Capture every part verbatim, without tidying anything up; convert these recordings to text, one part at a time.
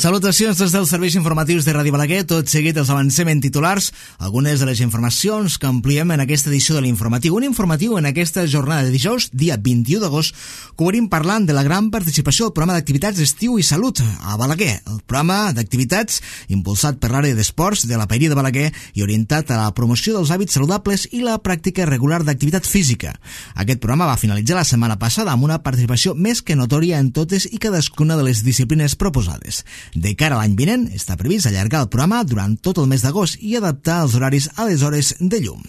Salutacions des dels serveis informatius de Ràdio Balaguer. Tot seguit els avancem en titulars algunes de les informacions que ampliem en aquesta edició de l'informatiu. Un informatiu en aquesta jornada de dijous, dia vint-i-u d'agost, que obrim parlant de la gran participació al programa d'activitats d'estiu i salut a Balaguer. El programa d'activitats impulsat per l'àrea d'esports de la Paeria de Balaguer i orientat a la promoció dels hàbits saludables i la pràctica regular d'activitat física. Aquest programa va finalitzar la setmana passada amb una participació més que notòria en totes i cadascuna de les disciplines proposades. De cara a l'any vinent, està previst allargar el programa durant tot el mes d'agost i adaptar els horaris a les hores de llum.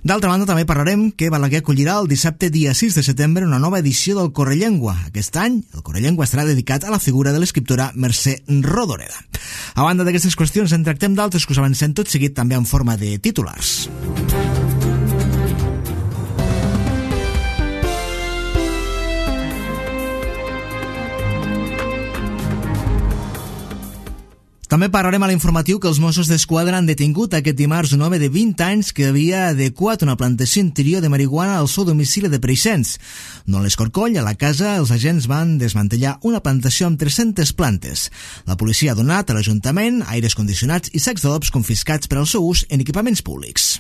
D'altra banda, també parlarem que Balaguer acollirà el dissabte dia sis de setembre una nova edició del Correllengua. Aquest any, el Correllengua estarà dedicat a la figura de l'escriptora Mercè Rodoreda. A banda d'aquestes qüestions, en tractem d'altres que us avancem tot seguit també en forma de titulars. També parlarem a l'informatiu que els Mossos d'Esquadra han detingut aquest dimarts un home de vint anys que havia adequat una plantació interior de marihuana al seu domicili de Preixens. No a l'Escorcoll, a la casa, els agents van desmantellar una plantació amb tres-centes plantes. La policia ha donat a l'Ajuntament aires condicionats i sacs d'adobs confiscats per al seu ús en equipaments públics.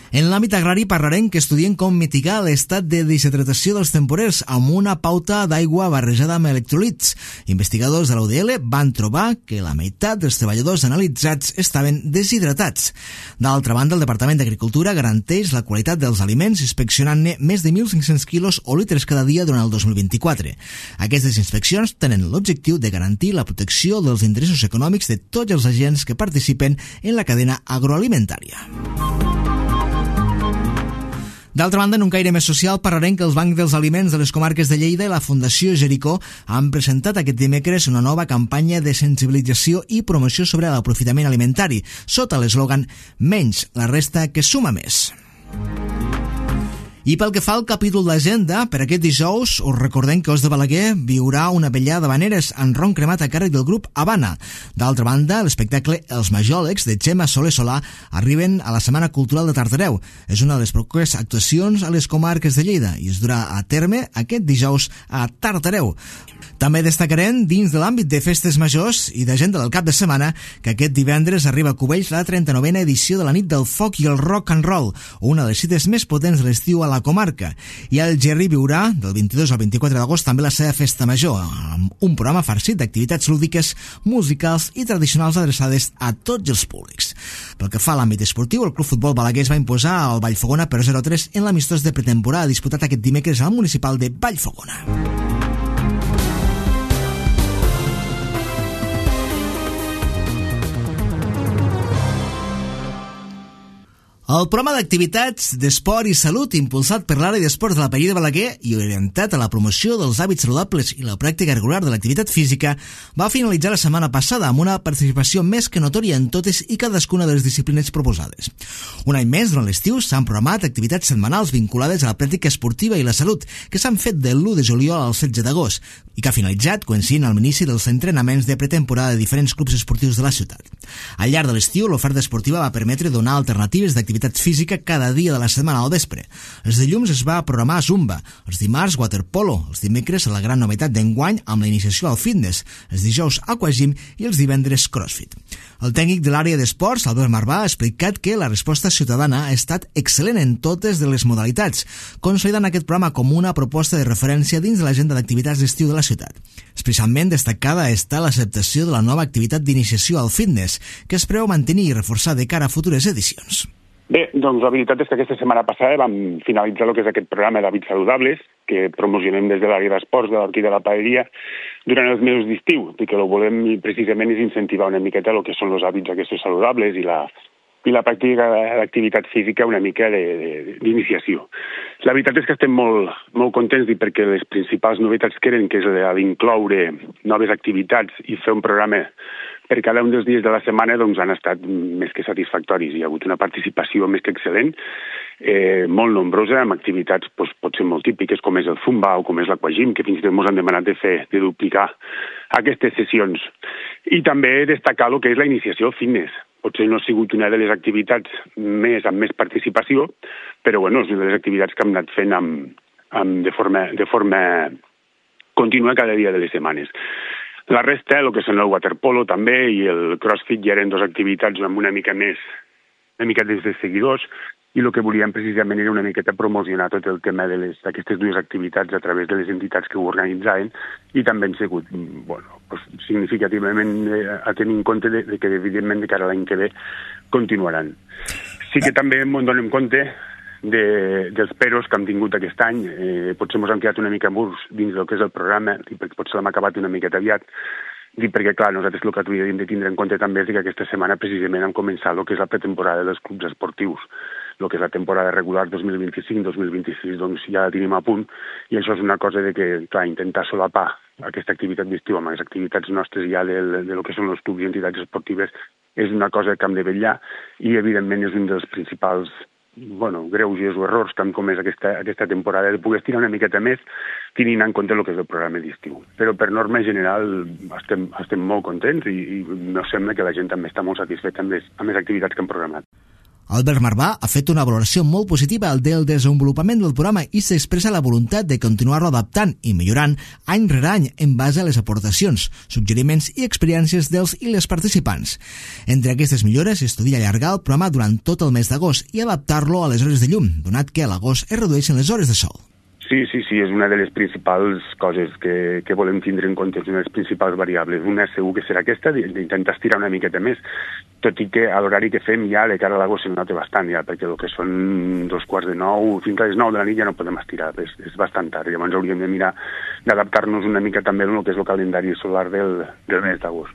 En l'àmbit agrari parlarem que estudien com mitigar l'estat de deshidratació dels temporers amb una pauta d'aigua barrejada amb electrolits. Investigadors de la U D L van trobar que la meitat dels treballadors analitzats estaven deshidratats. D'altra banda, el Departament d'Agricultura garanteix la qualitat dels aliments inspeccionant-ne més de mil cinc-cents quilos o litres cada dia durant el dos mil vint-i-quatre. Aquestes inspeccions tenen l'objectiu de garantir la protecció dels interessos econòmics de tots els agents que participen en la cadena agroalimentària. D'altra banda, en un caire més social, parlarem que els Bancs dels Aliments de les comarques de Lleida i la Fundació Jericó han presentat aquest dimecres una nova campanya de sensibilització i promoció sobre l'aprofitament alimentari, sota l'eslògan «Menys la resta que suma més». I pel que fa al capítol d'agenda, per aquest dijous us recordem que Os de Balaguer viurà una vetllada d'habaneres en ron cremat a càrrec del grup Habana. D'altra banda, l'espectacle Els Majòlegs de Gemma Soler Solà arriben a la Setmana Cultural de Tartareu. És una de les properes actuacions a les comarques de Lleida i es durà a terme aquest dijous a Tartareu. També destacarem, dins de l'àmbit de festes majors i d'agenda del cap de setmana, que aquest divendres arriba a Cubells la trenta-novena edició de la Nit del Foc i el Rock and Roll, una de les cites més potents de l'estiu a la comarca. I el Gerri viurà, del vint-i-dos al vint-i-quatre d'agost, també la seva festa major, amb un programa farcit d'activitats lúdiques, musicals i tradicionals adreçades a tots els públics. Pel que fa a l'àmbit esportiu, el Club Futbol Balaguer es va imposar al Vallfogona per zero a tres en l'amistós de pretemporada disputat aquest dimecres al municipal de Vallfogona. El programa d'activitats d'esport i salut impulsat per l'àrea d'esports de la Paeria de Balaguer i orientat a la promoció dels hàbits saludables i la pràctica regular de l'activitat física va finalitzar la setmana passada amb una participació més que notòria en totes i cadascuna de les disciplines proposades. Un any més, durant l'estiu, s'han programat activitats setmanals vinculades a la pràctica esportiva i la salut que s'han fet de l'u de juliol al setze d'agost i que ha finalitzat coincidint amb l'inici dels entrenaments de pretemporada de diferents clubs esportius de la ciutat. Al llarg de l'estiu, l'oferta esportiva va permetre donar alternatives d'activitat física cada dia de la setmana al vespre. Els dilluns es va programar Zumba, els dimarts waterpolo, els dimecres la gran novetat d'enguany amb la iniciació al fitness, els dijous aquagym i els divendres crossfit. El tècnic de l'àrea d'esports, Albert Marvà, ha explicat que la resposta ciutadana ha estat excel·lent en totes de les modalitats, consolidant aquest programa com una proposta de referència dins de l'agenda d'activitats d'estiu de la ciutat. Especialment destacada està l'acceptació de la nova activitat d'iniciació al fitness, que es preveu mantenir i reforçar de cara a futures edicions. Bé, doncs la veritat és que aquesta setmana passada vam finalitzar el que és aquest programa d'hàbits saludables que promocionem des de l'àrea d'esports de l'Orquí de la Paeria durant els mesos d'estiu, i que el que volem precisament és incentivar una miqueta el que són els hàbits aquests saludables i la, i la pràctica d'activitat física una mica d'iniciació. La veritat és que estem molt, molt contents perquè les principals novetats que eren, que és la d'incloure noves activitats i fer un programa per cada un dels dies de la setmana, doncs han estat més que satisfactoris. Hi ha hagut una participació més que excel·lent, eh, molt nombrosa, amb activitats doncs, potser molt típiques, com és el Zumba o com és l'Aquagym, que fins i tot ens han demanat de fer, de duplicar aquestes sessions. I també destacar el que és la iniciació fitness. Potser no ha sigut una de les activitats més amb més participació, però bueno, és una de les activitats que hem anat fent amb, amb, de, forma, de forma contínua cada dia de les setmanes. La resta, el que són el waterpolo també i el crossfit, ja eren dues activitats amb una mica més, una mica des de seguidors, i el que volíem precisament era una miqueta promocionar tot el tema d'aquestes dues activitats a través de les entitats que ho organitzaven, i també han sigut, bueno, pues, significativament eh, a tenir en compte de, de que, evidentment, de cara a l'any que ve continuaran. Sí que també ens donem compte de, dels peros que hem tingut aquest any. Eh, potser ens hem quedat una mica murs dins del que és el programa, i perquè potser l'hem acabat una miqueta aviat, dic perquè, clar, nosaltres el que hauríem de tindre en compte també és que aquesta setmana precisament hem començat el que és la pretemporada dels clubs esportius. El que és la temporada regular dos mil vint-i-cinc dos mil vint-i-sis, doncs ja la tenim a punt, i això és una cosa de que, clar, intentar solapar aquesta activitat d'estiu amb les activitats nostres ja de, de lo que són els clubs i entitats esportives és una cosa que hem de vetllar, i evidentment és un dels principals, bueno, greuges o errors que han comès aquesta, aquesta temporada, de poder estirar una miqueta més tenint en compte el que és el programa d'estiu. Però per norma general estem, estem molt contents i, i no sembla que la gent també està molt satisfeta amb les, amb les activitats que hem programat. Albert Marvà ha fet una valoració molt positiva del desenvolupament del programa i s'expressa la voluntat de continuar-lo adaptant i millorant any rere any en base a les aportacions, suggeriments i experiències dels i les participants. Entre aquestes millores, estudia allargar el programa durant tot el mes d'agost i adaptar-lo a les hores de llum, donat que a l'agost es redueixen les hores de sol. Sí, sí, sí, és una de les principals coses que, que volem tindre en compte, és una de les principals variables. Una segur que serà aquesta, d'intentar estirar una miqueta més, tot i que a l'horari que fem ja de cara a l'agost se nota bastant, ja, perquè el que són dos quarts de nou, fins a les nou de la nit ja no podem estirar, és, és bastant tard. Llavors hauríem de mirar d'adaptar-nos una mica també al que és el calendari solar del, del mes d'agost.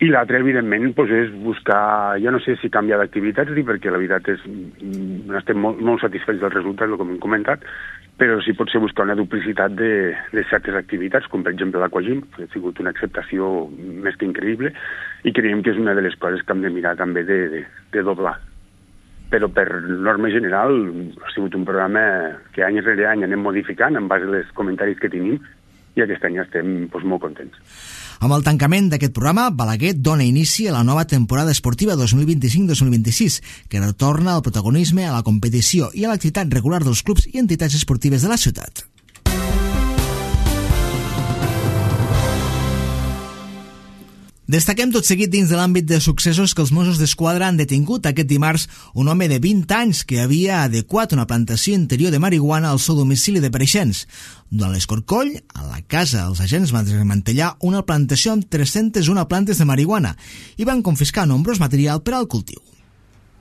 I l'altre, evidentment, doncs és buscar, ja no sé si canviar d'activitats, perquè la veritat és no estem molt, molt satisfets del resultat, el que hem comentat, però sí pot ser buscar una duplicitat de, de certes activitats, com per exemple l'Aquagym, que ha sigut una acceptació més que increïble, i creiem que és una de les coses que hem de mirar també de, de, de doblar. Però per norma general ha sigut un programa que any rere any anem modificant en base als comentaris que tenim, i aquest any estem doncs, molt contents. Amb el tancament d'aquest programa, Balaguer dona inici a la nova temporada esportiva dos mil vint-i-cinc dos mil vint-i-sis, que retorna al protagonisme, a la competició i a l'activitat regular dels clubs i entitats esportives de la ciutat. Destaquem tot seguit dins de l'àmbit de successos que els Mossos d'Esquadra han detingut aquest dimarts un home de vint anys que havia adequat una plantació interior de marihuana al seu domicili de Preixens. Durant l'escorcoll, a la casa, els agents van desmantellar una plantació amb tres-centes una plantes de marihuana i van confiscar nombrós material per al cultiu.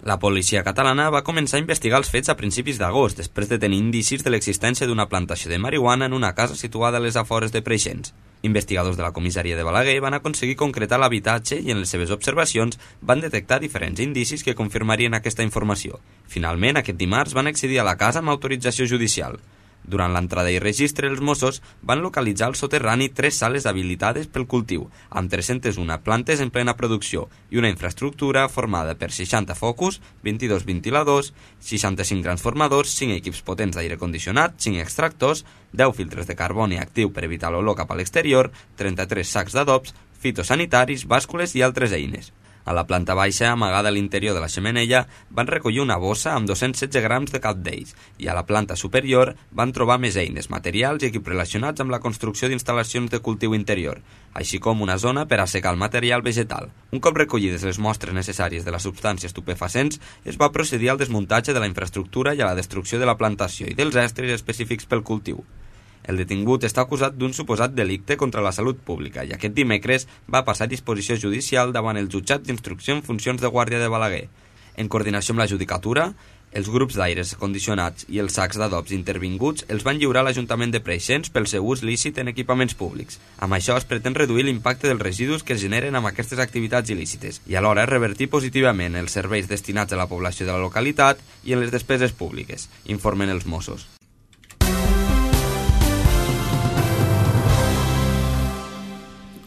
La policia catalana va començar a investigar els fets a principis d'agost, després de tenir indicis de l'existència d'una plantació de marihuana en una casa situada a les afores de Preixens. Investigadors de la comissaria de Balaguer van aconseguir concretar l'habitatge i en les seves observacions van detectar diferents indicis que confirmarien aquesta informació. Finalment, aquest dimarts van accedir a la casa amb autorització judicial. Durant l'entrada i registre, els Mossos van localitzar al soterrani tres sales habilitades pel cultiu, amb tres-centes una plantes en plena producció i una infraestructura formada per seixanta focus, vint-i-dos ventiladors, seixanta-cinc transformadors, cinc equips potents d'aire condicionat, cinc extractors, deu filtres de carboni actiu per evitar l'olor cap a l'exterior, trenta-tres sacs d'adobs, fitosanitaris, bàscules i altres eines. A la planta baixa, amagada a l'interior de la xemeneia, van recollir una bossa amb dos-cents setze grams de cap d'ells i a la planta superior van trobar més eines, materials i equips relacionats amb la construcció d'instal·lacions de cultiu interior, així com una zona per assecar el material vegetal. Un cop recollides les mostres necessàries de les substàncies estupefacients, es va procedir al desmuntatge de la infraestructura i a la destrucció de la plantació i dels estris específics pel cultiu. El detingut està acusat d'un suposat delicte contra la salut pública i aquest dimecres va passar a disposició judicial davant el jutjat d'instrucció en funcions de guàrdia de Balaguer. En coordinació amb la judicatura, els grups d'aires condicionats i els sacs d'adobs intervinguts els van lliurar a l'Ajuntament de Preixens pel seu ús lícit en equipaments públics. Amb això es pretén reduir l'impacte dels residus que es generen amb aquestes activitats il·lícites i alhora revertir positivament els serveis destinats a la població de la localitat i en les despeses públiques, informen els Mossos.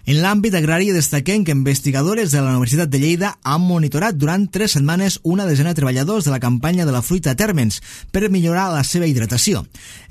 En l'àmbit agrari destaquem que investigadores de la Universitat de Lleida han monitorat durant tres setmanes una desena de treballadors de la campanya de la fruita a Térmens per millorar la seva hidratació.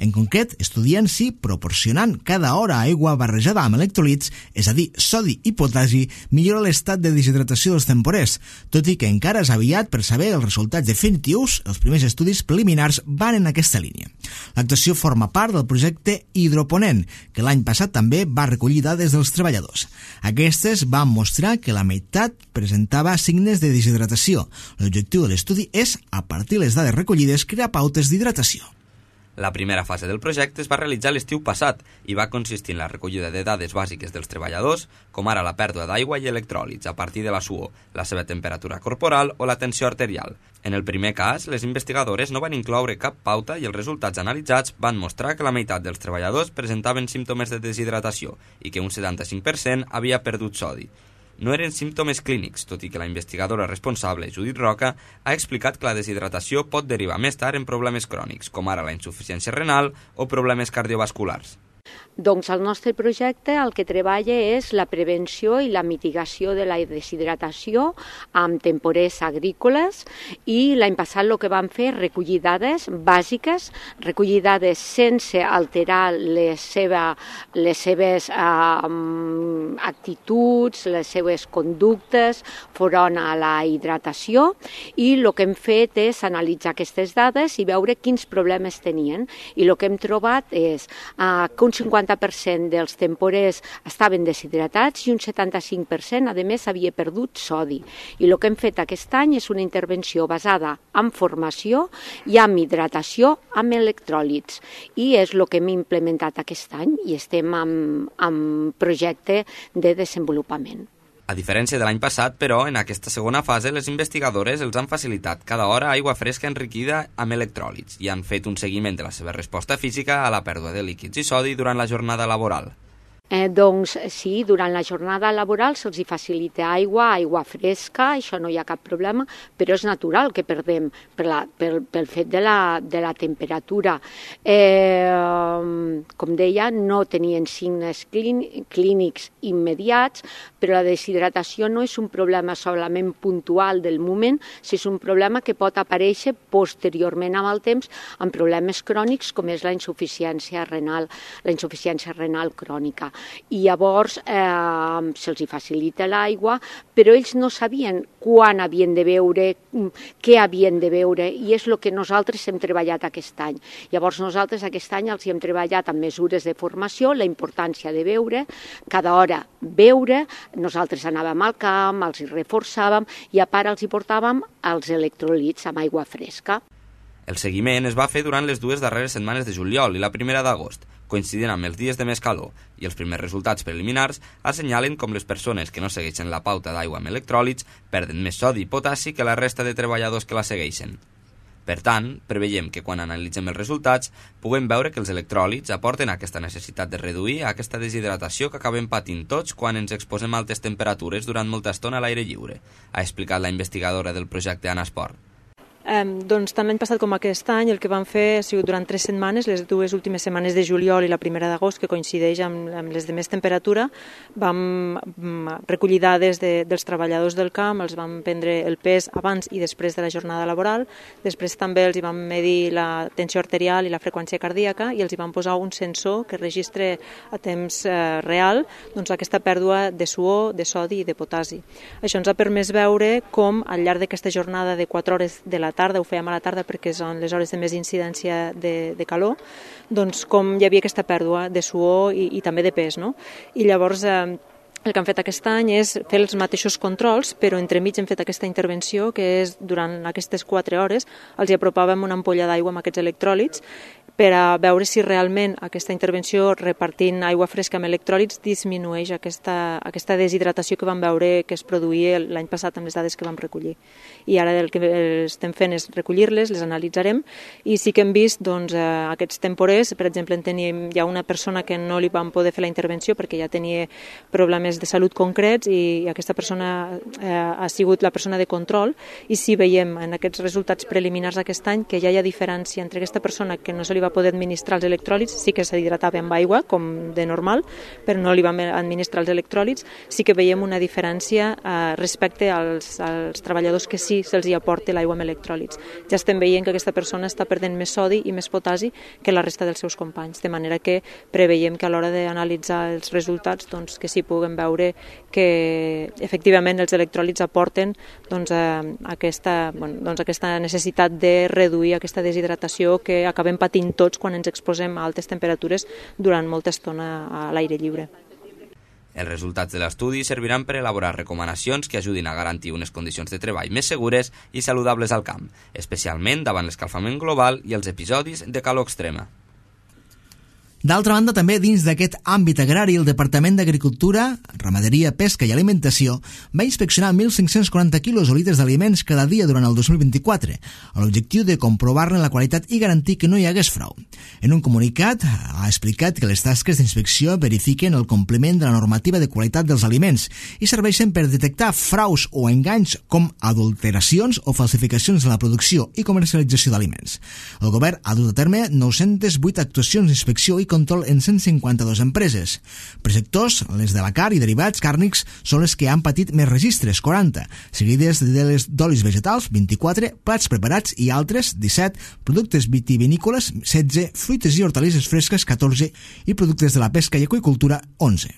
En concret, estudien si proporcionant cada hora aigua barrejada amb electrolits, és a dir, sodi i potasi, millora l'estat de deshidratació dels temporers, tot i que encara és aviat per saber els resultats definitius, els primers estudis preliminars van en aquesta línia. L'actuació forma part del projecte Hidroponent, que l'any passat també va recollir dades dels treballadors. treballadors. Aquestes van mostrar que la meitat presentava signes de deshidratació. L'objectiu de l'estudi és, a partir de les dades recollides, crear pautes d'hidratació. La primera fase del projecte es va realitzar l'estiu passat i va consistir en la recollida de dades bàsiques dels treballadors, com ara la pèrdua d'aigua i electròlits a partir de la suor, la seva temperatura corporal o la tensió arterial. En el primer cas, les investigadores no van incloure cap pauta i els resultats analitzats van mostrar que la meitat dels treballadors presentaven símptomes de deshidratació i que un setanta-cinc per cent havia perdut sodi. No eren símptomes clínics, tot i que la investigadora responsable, Judit Roca, ha explicat que la deshidratació pot derivar més tard en problemes crònics, com ara la insuficiència renal o problemes cardiovasculars. Doncs el nostre projecte el que treballa és la prevenció i la mitigació de la deshidratació amb temporers agrícoles i l'any passat el que vam fer és recollir dades bàsiques, recollir dades sense alterar les, seva, les seves eh, actituds, les seves conductes front a la hidratació i el que hem fet és analitzar aquestes dades i veure quins problemes tenien i el que hem trobat és eh, que un cinquanta per cent dels temporers estaven deshidratats i un setanta-cinc per cent, a més, havia perdut sodi. I el que hem fet aquest any és una intervenció basada en formació i en hidratació amb electròlits. I és el que hem implementat aquest any i estem en, en projecte de desenvolupament. A diferència de l'any passat, però, en aquesta segona fase, les investigadores els han facilitat cada hora aigua fresca enriquida amb electròlits i han fet un seguiment de la seva resposta física a la pèrdua de líquids i sodi durant la jornada laboral. Eh, doncs sí, durant la jornada laboral se'ls facilita aigua, aigua fresca, això no hi ha cap problema, però és natural que perdem per la, pel, pel fet de la, de la temperatura. Eh, com deia, no tenien signes clínics immediats, però la deshidratació no és un problema solament puntual del moment, sinó és un problema que pot aparèixer posteriorment amb el temps amb problemes crònics com és la insuficiència renal, la insuficiència renal crònica. I llavors eh, se'ls facilita l'aigua, però ells no sabien quan havien de beure, què havien de beure, i és el que nosaltres hem treballat aquest any. Llavors nosaltres aquest any els hem treballat amb mesures de formació, la importància de beure, cada hora beure, nosaltres anàvem al camp, els hi reforçàvem i a part els hi portàvem els electròlits amb aigua fresca. El seguiment es va fer durant les dues darreres setmanes de juliol i la primera d'agost, coincidint amb els dies de més calor, i els primers resultats preliminars assenyalen com les persones que no segueixen la pauta d'aigua amb electròlits perden més sodi i potassi que la resta de treballadors que la segueixen. Per tant, preveiem que quan analitzem els resultats puguem veure que els electròlits aporten aquesta necessitat de reduir aquesta deshidratació que acabem patint tots quan ens exposem a altes temperatures durant molta estona a l'aire lliure, ha explicat la investigadora del projecte Anna Esport. Eh, doncs tant l'any passat com aquest any el que vam fer ha sigut durant tres setmanes, les dues últimes setmanes de juliol i la primera d'agost, que coincideix amb, amb les de més temperatura, vam recollir dades de, dels treballadors del camp, els vam prendre el pes abans i després de la jornada laboral, després també els hi vam medir la tensió arterial i la freqüència cardíaca i els hi vam posar un sensor que registre a temps eh, real doncs, aquesta pèrdua de suor, de sodi i de potassi. Això ens ha permès veure com al llarg d'aquesta jornada de quatre hores de la tarda, ho fèiem a la tarda perquè són les hores de més incidència de, de calor, doncs com hi havia aquesta pèrdua de suor i, i també de pes, no? I llavors eh, el que hem fet aquest any és fer els mateixos controls, però entremig hem fet aquesta intervenció que és durant aquestes quatre hores els hi apropàvem una ampolla d'aigua amb aquests electròlits per a veure si realment aquesta intervenció repartint aigua fresca amb electròlits disminueix aquesta, aquesta deshidratació que vam veure que es produïa l'any passat amb les dades que vam recollir. I ara el que estem fent és recollir-les, les analitzarem i sí que hem vist doncs, eh, aquests temporers, per exemple en tenim, hi ha una persona que no li vam poder fer la intervenció perquè ja tenia problemes de salut concrets i aquesta persona eh, ha sigut la persona de control i sí veiem en aquests resultats preliminars d'aquest any que ja hi ha diferència entre aquesta persona que no se li va poder administrar els electròlits, sí que s'hidratava amb aigua, com de normal, però no li vam administrar els electròlits, sí que veiem una diferència eh, respecte als, als treballadors que sí se'ls hi aporta l'aigua amb electròlits. Ja estem veient que aquesta persona està perdent més sodi i més potassi que la resta dels seus companys, de manera que preveiem que a l'hora d'analitzar els resultats doncs, que sí puguem veure que efectivament els electròlits aporten doncs, eh, aquesta, bueno, doncs, aquesta necessitat de reduir aquesta deshidratació que acabem patint tots quan ens exposem a altes temperatures durant molta estona a l'aire lliure. Els resultats de l'estudi serviran per elaborar recomanacions que ajudin a garantir unes condicions de treball més segures i saludables al camp, especialment davant l'escalfament global i els episodis de calor extrema. D'altra banda, també dins d'aquest àmbit agrari, el Departament d'Agricultura, Ramaderia, Pesca i Alimentació va inspeccionar mil cinc-cents quaranta quilos o litres d'aliments cada dia durant el dos mil vint-i-quatre, amb l'objectiu de comprovar-ne la qualitat i garantir que no hi hagués frau. En un comunicat ha explicat que les tasques d'inspecció verifiquen el compliment de la normativa de qualitat dels aliments i serveixen per detectar fraus o enganys com adulteracions o falsificacions en la producció i comercialització d'aliments. El govern ha dut a terme nou-centes vuit actuacions d'inspecció i control en cent cinquanta-dues empreses. Per sectors, les de la carn i derivats càrnics són les que han patit més registres, quaranta, seguides de les d'olis vegetals, vint-i-quatre, plats preparats i altres, disset, productes vitivinícoles, setze, fruites i hortalisses fresques, catorze, i productes de la pesca i aqüicultura, onze.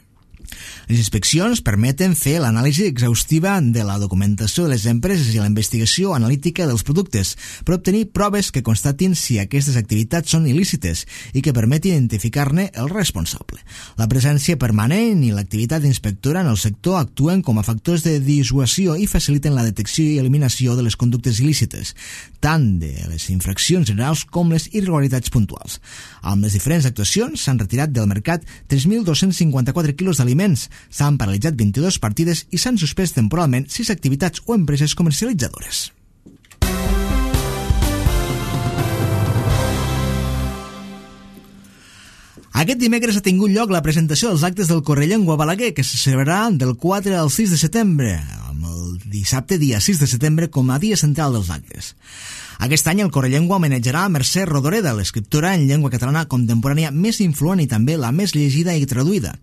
Les inspeccions permeten fer l'anàlisi exhaustiva de la documentació de les empreses i la investigació analítica dels productes per obtenir proves que constatin si aquestes activitats són il·lícites i que permetin identificar-ne el responsable. La presència permanent i l'activitat inspectora en el sector actuen com a factors de dissuasió i faciliten la detecció i eliminació de les conductes il·lícites, tant de les infraccions generals com les irregularitats puntuals. Amb les diferents actuacions s'han retirat del mercat tres mil dos-cents cinquanta-quatre quilos d'aliments, s'han paralitzat vint-i-dues partides i s'han suspès temporalment sis activitats o empreses comercialitzadores. Aquest dimecres ha tingut lloc la presentació dels actes del Correllengua Balaguer, que se celebrarà del quatre al sis de setembre, amb el dissabte dia sis de setembre com a dia central dels actes. Aquest any el Correllengua homenatjarà a Mercè Rodoreda, l'escriptora en llengua catalana contemporània més influent i també la més llegida i traduïda.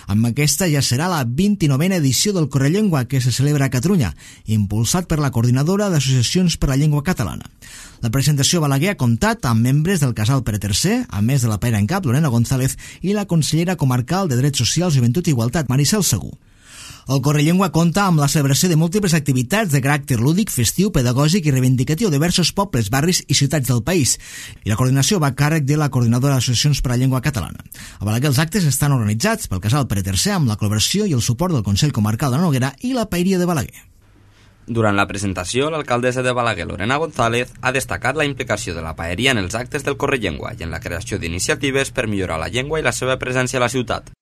Amb aquesta ja serà la vint-i-novena edició del Correllengua que se celebra a Catalunya, impulsat per la Coordinadora d'Associacions per la Llengua Catalana. La presentació Balaguer ha comptat amb membres del Casal Pere tercer, a més de la paira en cap, Lorena González, i la consellera comarcal de Drets Socials, Joventut i Igualtat, Maricel Segú. El Correllengua compta amb la celebració de múltiples activitats de caràcter lúdic, festiu, pedagògic i reivindicatiu de diversos pobles, barris i ciutats del país, i la coordinació va a càrrec de la Coordinadora d'Associacions per a la Llengua Catalana. A Balaguer els actes estan organitzats pel Casal Pere tercer amb la col·laboració i el suport del Consell Comarcal de la Noguera i la Paeria de Balaguer. Durant la presentació, l'alcaldessa de Balaguer, Lorena González, ha destacat la implicació de la paeria en els actes del Correllengua i en la creació d'iniciatives per millorar la llengua i la seva presència a la ciutat.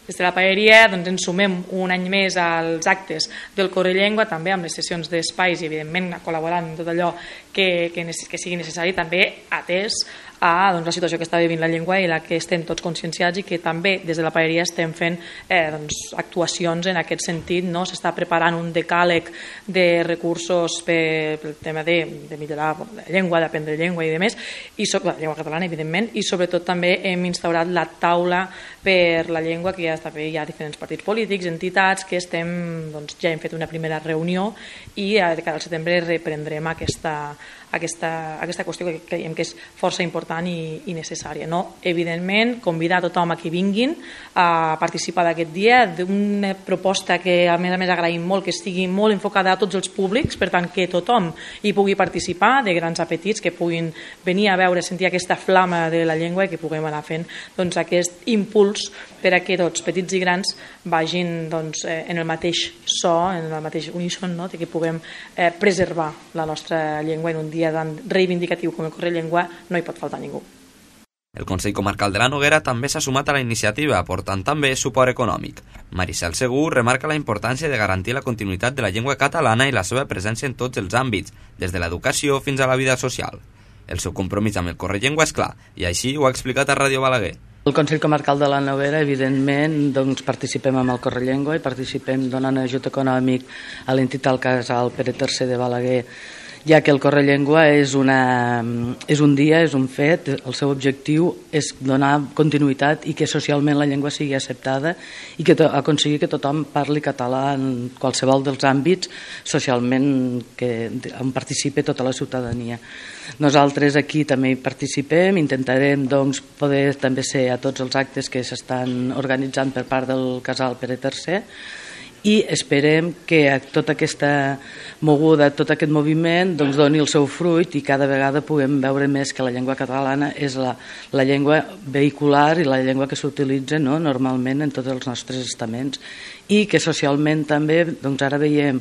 Des de la paeria doncs, ens sumem un any més als actes del Correllengua, també amb les sessions d'espais i, evidentment, col·laborant en tot allò que, que, que sigui necessari, també atès a doncs, la situació que està vivint la llengua i la que estem tots conscienciats i que també des de la paeria estem fent eh, doncs, actuacions en aquest sentit. No? S'està preparant un decàleg de recursos per, per el tema de, de millorar la llengua, d'aprendre llengua i demés, i so, la llengua catalana, evidentment, i sobretot també hem instaurat la taula per la llengua, que ja està bé, hi ha diferents partits polítics, entitats, que estem, doncs, ja hem fet una primera reunió i de cara al setembre reprendrem aquesta Aquesta, aquesta qüestió que creiem que és força important i, i necessària. No? Evidentment, convidar a tothom a que vinguin a participar d'aquest dia, d'una proposta que a més a més agraïm molt, que estigui molt enfocada a tots els públics, per tant que tothom hi pugui participar, de grans a petits, que puguin venir a veure, sentir aquesta flama de la llengua i que puguem anar fent doncs, aquest impuls per a que tots, petits i grans, vagin doncs, en el mateix so, en el mateix uníson, no? De que puguem eh, preservar la nostra llengua en un dia tan reivindicatiu com el Correllengua. No hi pot faltar ningú. El Consell Comarcal de la Noguera també s'ha sumat a la iniciativa, aportant també suport econòmic. Maricel Segú remarca la importància de garantir la continuïtat de la llengua catalana i la seva presència en tots els àmbits, des de l'educació fins a la vida social. El seu compromís amb el Correllengua és clar, i així ho ha explicat a Ràdio Balaguer. El Consell Comarcal de la Noguera, evidentment, doncs, participem amb el Correllengua i participem donant ajut econòmic a l'entitat Casal Pere tercer de Balaguer, ja que el Correllengua és, una, és un dia, és un fet, el seu objectiu és donar continuïtat i que socialment la llengua sigui acceptada i que to, aconseguir que tothom parli català en qualsevol dels àmbits socialment que, on participi tota la ciutadania. Nosaltres aquí també hi participem, intentarem doncs, poder també ser a tots els actes que s'estan organitzant per part del Casal Pere tercer i esperem que tota aquesta moguda, tot aquest moviment doncs, doni el seu fruit i cada vegada puguem veure més que la llengua catalana és la, la llengua vehicular i la llengua que s'utilitza, no?, normalment en tots els nostres estaments, i que socialment també doncs, ara veiem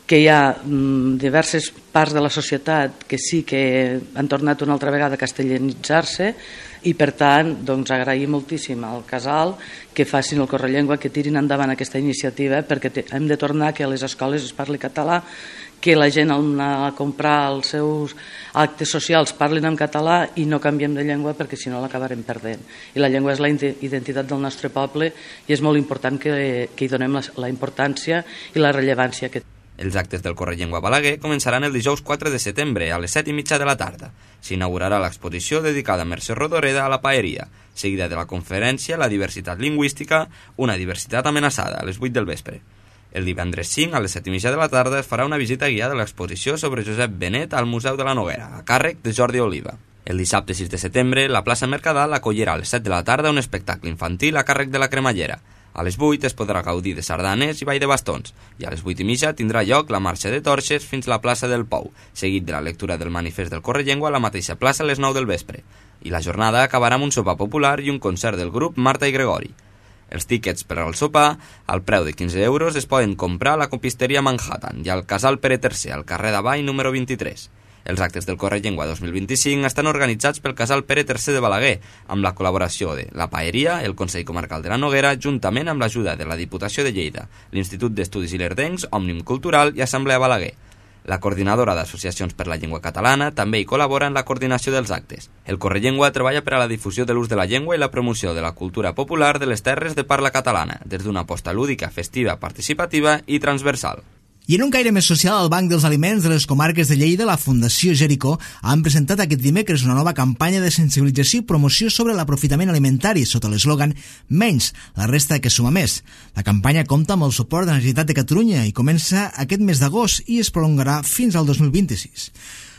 que hi ha mm, diverses parts de la societat que sí que han tornat una altra vegada a castellanitzar-se i per tant doncs, agrair moltíssim al Casal que facin el Correllengua, que tirin endavant aquesta iniciativa perquè hem de tornar que a les escoles es parli català, que la gent al anar a comprar els seus actes socials parlin en català i no canviem de llengua perquè si no l'acabarem perdent. I la llengua és la identitat del nostre poble i és molt important que, que hi donem la, la importància i la rellevància que té. Els actes del Correllengua Balaguer començaran el dijous quatre de setembre a les set i mitja de la tarda. S'inaugurarà l'exposició dedicada a Mercè Rodoreda a la Paeria, seguida de la conferència La diversitat lingüística, una diversitat amenaçada, a les vuit del vespre. El divendres cinc, a les set i mitja de la tarda, es farà una visita guiada a l'exposició sobre Josep Benet al Museu de la Noguera, a càrrec de Jordi Oliva. El dissabte sis de setembre, la plaça Mercadal acollirà a les set de la tarda un espectacle infantil a càrrec de la Cremallera. A les vuit es podrà gaudir de sardanes i ball de bastons, i a les vuit i mitja tindrà lloc la marxa de torxes fins a la plaça del Pou, seguit de la lectura del manifest del Correllengua a la mateixa plaça a les nou del vespre. I la jornada acabarà amb un sopar popular i un concert del grup Marta i Gregori. Els tíquets per al sopar, al preu de quinze euros, es poden comprar a la copisteria Manhattan i al Casal Pere tercer, al carrer d'Avall número vint-i-tres. Els actes del Correllengua dos mil vint-i-cinc estan organitzats pel Casal Pere tercer de Balaguer, amb la col·laboració de la Paeria, el Consell Comarcal de la Noguera, juntament amb l'ajuda de la Diputació de Lleida, l'Institut d'Estudis Ilerdencs, Òmnium Cultural i Assemblea Balaguer. La coordinadora d'associacions per la llengua catalana també hi col·labora en la coordinació dels actes. El Correllengua treballa per a la difusió de l'ús de la llengua i la promoció de la cultura popular de les terres de parla catalana, des d'una aposta lúdica, festiva, participativa i transversal. I en un caire més social, al Banc dels Aliments de les Comarques de Lleida, la Fundació Jericó han presentat aquest dimecres una nova campanya de sensibilització i promoció sobre l'aprofitament alimentari sota l'eslògan Menys, la resta que suma més. La campanya compta amb el suport de la Generalitat de Catalunya i comença aquest mes d'agost i es prolongarà fins al dos mil vint-i-sis.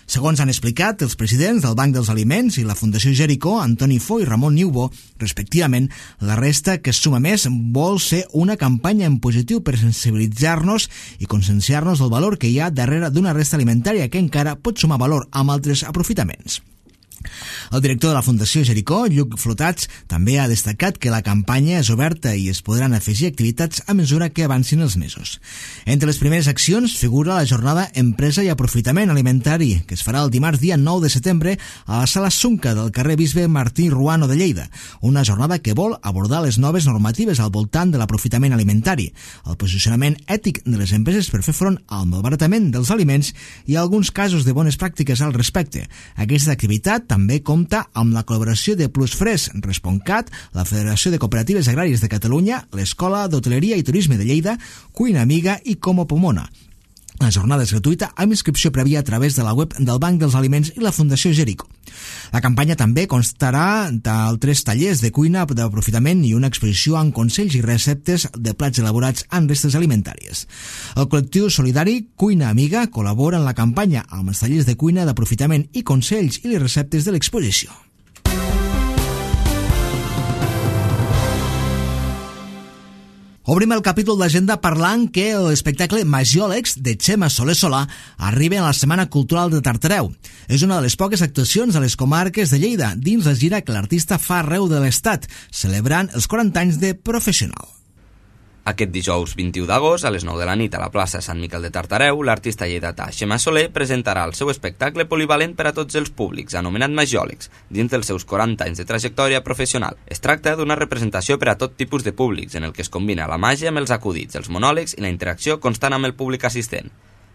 Segons han explicat els presidents del Banc dels Aliments i la Fundació Jericó, Antoni Fo i Ramon Niubo, respectivament, la resta que suma més vol ser una campanya en positiu per sensibilitzar-nos i conscienciar-nos del valor que hi ha darrere d'una resta alimentària que encara pot sumar valor amb altres aprofitaments. El director de la Fundació Jericó, Lluc Flotats, també ha destacat que la campanya és oberta i es podran afegir activitats a mesura que avancin els mesos. Entre les primeres accions figura la jornada Empresa i Aprofitament Alimentari, que es farà el dimarts dia nou de setembre a la Sala Sunca del carrer Bisbe Martí Ruano de Lleida, una jornada que vol abordar les noves normatives al voltant de l'aprofitament alimentari, el posicionament ètic de les empreses per fer front al malbaratament dels aliments i alguns casos de bones pràctiques al respecte. Aquesta activitat també compta amb la col·laboració de Plusfres, Responcat, la Federació de Cooperatives Agràries de Catalunya, l'Escola d'Hoteleria i Turisme de Lleida, Cuina Amiga i Como Pomona. La jornada és gratuïta amb inscripció prèvia a través de la web del Banc dels Aliments i la Fundació Jericó. La campanya també constarà d'altres tallers de cuina d'aprofitament i una exposició amb consells i receptes de plats elaborats amb restes alimentàries. El col·lectiu solidari Cuina Amiga col·labora en la campanya amb els tallers de cuina d'aprofitament i consells i les receptes de l'exposició. Obrim el capítol d'agenda parlant que l'espectacle Magiòlegs de Txema Soler Solà arriba a la Setmana Cultural de Tartareu. És una de les poques actuacions a les comarques de Lleida dins la gira que l'artista fa arreu de l'Estat, celebrant els quaranta anys de professional. Aquest dijous vint-i-u d'agost, a les nou de la nit a la plaça Sant Miquel de Tartareu, l'artista lleidatà Txema Soler presentarà el seu espectacle polivalent per a tots els públics, anomenat Magiòlegs, dins dels seus quaranta anys de trajectòria professional. Es tracta d'una representació per a tot tipus de públics, en el que es combina la màgia amb els acudits, els monòlegs i la interacció constant amb el públic assistent.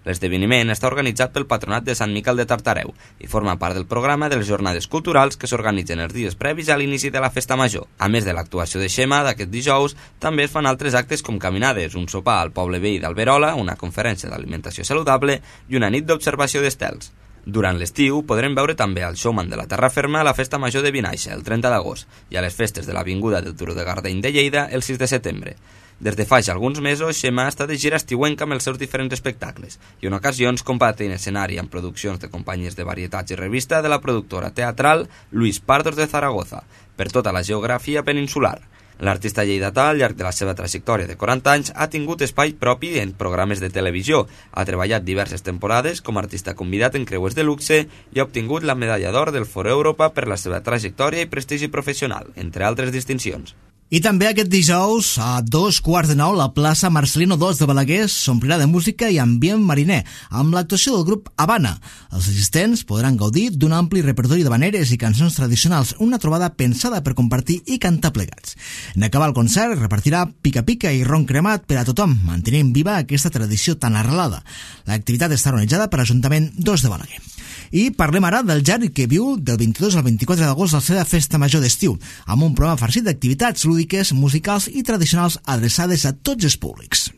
L'esdeveniment està organitzat pel Patronat de Sant Miquel de Tartareu i forma part del programa de les jornades culturals que s'organitzen els dies previs a l'inici de la festa major. A més de l'actuació de Txema d'aquest dijous, també es fan altres actes com caminades, un sopar al poble veí d'Alberola, una conferència d'alimentació saludable i una nit d'observació d'estels. Durant l'estiu podrem veure també el showman de la Terra Ferma a la Festa Major de Vinaixa, el trenta d'agost, i a les festes de l'Avinguda del Turó de Gardeny de Lleida, el sis de setembre. Des de fa ja alguns mesos, Txema està de gira estiuenca amb els seus diferents espectacles i en ocasions compartint escenari amb produccions de companyies de varietats i revista de la productora teatral Luis Pardos de Zaragoza, per tota la geografia peninsular. L'artista lleidatà, al llarg de la seva trajectòria de quaranta anys, ha tingut espai propi en programes de televisió, ha treballat diverses temporades com a artista convidat en creuers de luxe i ha obtingut la medalla d'or del Foro Europa per la seva trajectòria i prestigi professional, entre altres distincions. I també aquest dijous, a dos quarts de nou, la plaça Marcelino dos de Balaguer s'omplirà de música i ambient mariner, amb l'actuació del grup Habana. Els assistents podran gaudir d'un ampli repertori de habaneres i cançons tradicionals, una trobada pensada per compartir i cantar plegats. En acabar el concert, repartirà pica-pica i ron cremat per a tothom, mantenint viva aquesta tradició tan arrelada. L'activitat està organitzada per l'Ajuntament dos de Balaguer. I parlem ara del Jari, que viu del vint-i-dos al vint-i-quatre d'agost la seva festa major d'estiu, amb un programa farcit d'activitats lúdiques, musicals i tradicionals adreçades a tots els públics.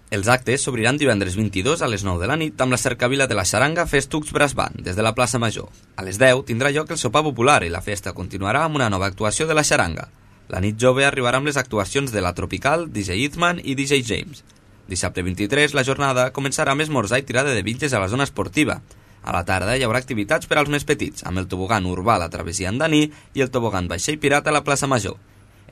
Els actes s'obriran divendres vint-i-dos a les nou de la nit amb la cercavila de la xaranga Festucs Brass Band, des de la plaça Major. A les deu tindrà lloc el sopar popular i la festa continuarà amb una nova actuació de la xaranga. La nit jove arribarà amb les actuacions de la Tropical, D J Eatman i D J James. Dissabte vint-i-tres, la jornada començarà amb esmorzar i tirada de bitxes a la zona esportiva. A la tarda hi haurà activitats per als més petits, amb el tobogan urbà a la travessia Andaní i el tobogan vaixell pirata a la plaça Major.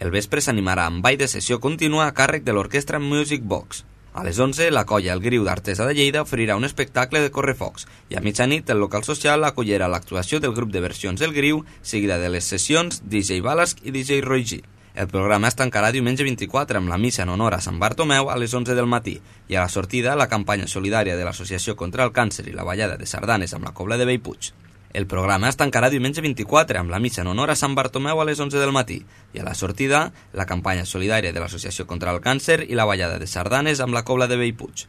El vespre s'animarà amb ball de sessió contínua a càrrec de l'orquestra Music Box. A les onze, la colla El Griu d'Artesa de Lleida oferirà un espectacle de correfocs i a mitjanit el local social acollirà l'actuació del grup de versions El Griu, seguida de les sessions D J Balasc i D J Roy G. El programa es tancarà diumenge vint-i-quatre amb la missa en honor a Sant Bartomeu a les onze del matí i a la sortida la campanya solidària de l'Associació contra el Càncer i la ballada de sardanes amb la Cobla de Bellpuig. El programa es tancarà diumenge vint-i-quatre amb la missa en honor a Sant Bartomeu a les onze del matí i a la sortida la campanya solidària de l'Associació contra el Càncer i la ballada de sardanes amb la Cobla de Bellpuig.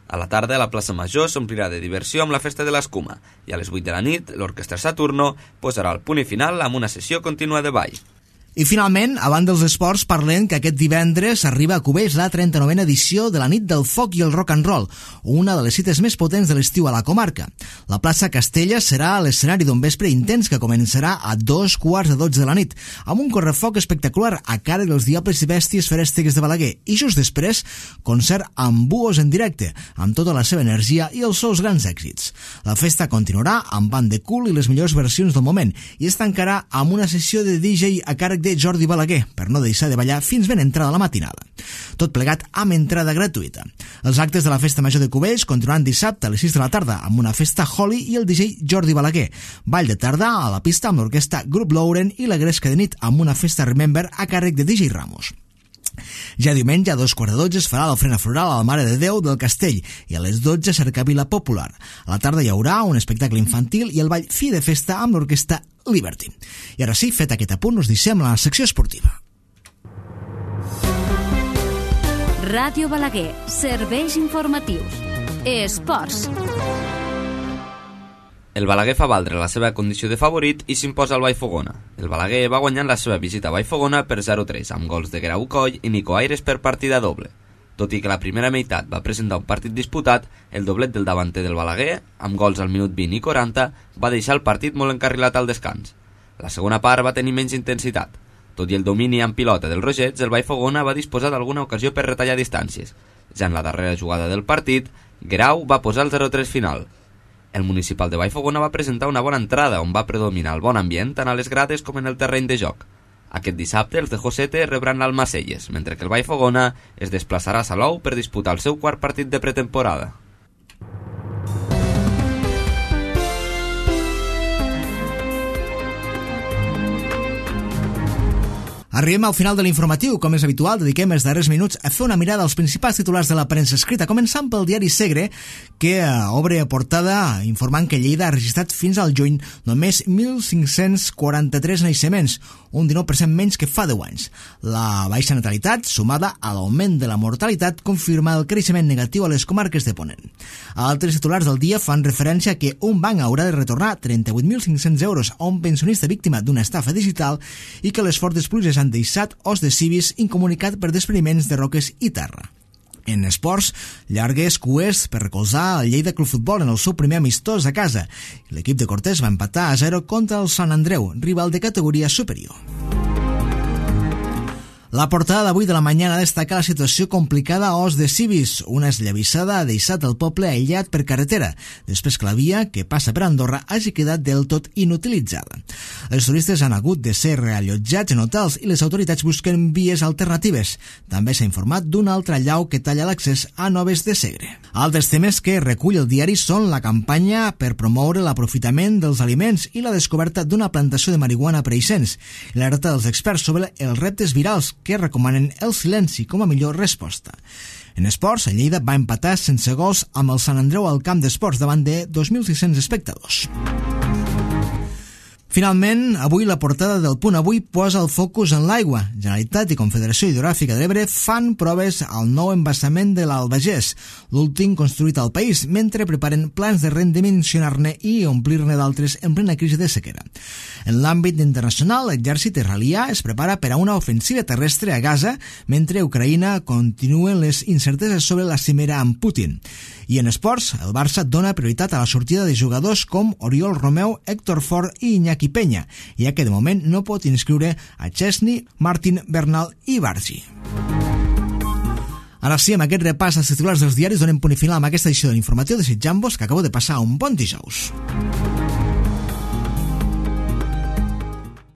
A la tarda la plaça Major s'omplirà de diversió amb la festa de l'escuma i a les vuit de la nit l'Orquestra Saturno posarà el punt i final amb una sessió contínua de ball. I finalment, abans dels esports, parlem que aquest divendres arriba a Cubells la trenta-novena edició de la Nit del Foc i el Rock and Roll, una de les cites més potents de l'estiu a la comarca. La plaça Castella serà l'escenari d'un vespre intens que començarà a dos quarts de dotze de la nit, amb un correfoc espectacular a càrrec dels Diables i Bèsties Ferèstegues de Balaguer, i just després, concert amb buos en directe, amb tota la seva energia i els seus grans èxits. La festa continuarà amb band de cul i les millors versions del moment, i es tancarà amb una sessió de D J a càrrec de Jordi Balaguer, per no deixar de ballar fins ben entrada la matinada. Tot plegat amb entrada gratuïta. Els actes de la Festa Major de Cubells continuaran dissabte a les sis de la tarda amb una festa Holly i el D J Jordi Balaguer. Ball de tarda a la pista amb l'orquestra Grup Lauren i la Gresca de nit amb una festa Remember a càrrec de D J Ramos. Ja diumenge a dos quarts de dotze es farà l'ofrena floral a la Mare de Déu del Castell i a les dotze cercavila popular. A la tarda hi haurà un espectacle infantil i el ball fi de festa amb l'orquestra Liberty. I ara sí, fet aquest apunt, us deixem la secció esportiva. Ràdio Balaguer, serveis informatius. Esports. El Balaguer fa valdre la seva condició de favorit i s'imposa al Vallfogona. El Balaguer va guanyant la seva visita a Vallfogona per zero tres, amb gols de Guerau Coll i Nico Aires per partida doble. Tot i que la primera meitat va presentar un partit disputat, el doblet del davanter del Balaguer, amb gols al minut vint i quaranta, va deixar el partit molt encarrilat al descans. La segona part va tenir menys intensitat. Tot i el domini amb pilota del Rogets, el Vallfogona va disposar d'alguna ocasió per retallar distàncies. Ja en la darrera jugada del partit, Guerau va posar el zero tres final. El municipal de Vallfogona va presentar una bona entrada on va predominar el bon ambient tant a les grades com en el terreny de joc. Aquest dissabte els de Josete rebran l'Almacelles, mentre que el Vallfogona es desplaçarà a Salou per disputar el seu quart partit de pretemporada. Arribem al final de l'informatiu. Com és habitual, dediquem els darrers minuts a fer una mirada als principals titulars de la premsa escrita, començant pel diari Segre, que obre a portada informant que Lleida ha registrat fins al juny només mil cinc-cents quaranta-tres naixements, un dinou per cent menys que fa deu anys. La baixa natalitat, sumada a l'augment de la mortalitat, confirma el creixement negatiu a les comarques de Ponent. Altres titulars del dia fan referència a que un banc haurà de retornar trenta-vuit mil cinc-cents euros a un pensionista víctima d'una estafa digital i que les fortes pluges han deixat os de civis incomunicat per despreniments de roques i terra. En esports, llargues cues per recolzar el Lleida Club Futbol en el seu primer amistós a casa. L'equip de Cortés va empatar a zero contra el Sant Andreu, rival de categoria superior. La portada d'avui de la Mañana destaca la situació complicada a Os de Cibis. Una esllavissada ha deixat el poble aïllat per carretera, després que la via que passa per Andorra hagi quedat del tot inutilitzada. Els turistes han hagut de ser reallotjats en hotels i les autoritats busquen vies alternatives. També s'ha informat d'un altre allau que talla l'accés a Noves de Segre. Altres temes que recull el diari són la campanya per promoure l'aprofitament dels aliments i la descoberta d'una plantació de marihuana per Eixens, i l'alerta dels experts sobre els reptes virals que recomanen el silenci com a millor resposta. En esports, el Lleida va empatar sense gols amb el Sant Andreu al camp d'esports davant de dos mil sis-cents espectadors. Finalment, avui la portada del Punt Avui posa el focus en l'aigua. Generalitat i Confederació Hidrogràfica de l'Ebre fan proves al nou embassament de l'Albagés, l'últim construït al país, mentre preparen plans de redimensionar-ne i omplir-ne d'altres en plena crisi de sequera. En l'àmbit internacional, l'exèrcit israelià es prepara per a una ofensiva terrestre a Gaza, mentre Ucraïna continuen les incerteses sobre la cimera amb Putin. I en esports, el Barça dona prioritat a la sortida de jugadors com Oriol Romeu, Héctor Fort i Iñaki Peña, ja que de moment no pot inscriure a Chesney, Martin, Bernal i Bargi. Ara sí, amb aquest repàs als titulars dels diaris donem punt i final amb aquesta edició de l'informatiu, desitjant-vos que acabeu de passar un bon dijous.